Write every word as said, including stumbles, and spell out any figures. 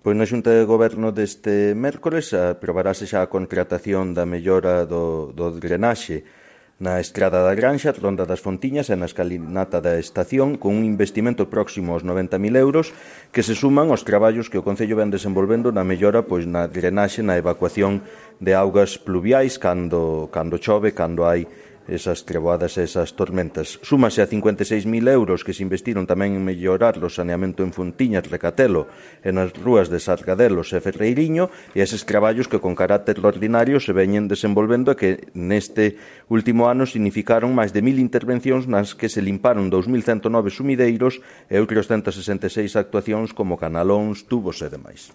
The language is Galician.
Pois na Xunta de Goberno deste mércores aprobarase xa a contratación da mellora do, do drenaxe na Estrada da Granxa, Ronda das Fontiñas e na escalinata da estación, con un investimento próximo aos noventa mil euros que se suman aos traballos que o Concello ven desenvolvendo na mellora pois na drenaxe, na evacuación de augas pluviais cando, cando chove, cando hai esas treboadas e esas tormentas. Súmase a cincuenta e seis mil euros que se investiron tamén en mellorar o saneamento en Fontiñas, Recatelo e nas rúas de Sargadelos e Ferreiriño, e eses traballos que con carácter ordinario se veñen desenvolvendo e que neste último ano significaron máis de mil intervencións nas que se limparon dous mil ciento nove sumideiros e outros ciento sesenta e seis actuacións como canalóns, tubos e demais.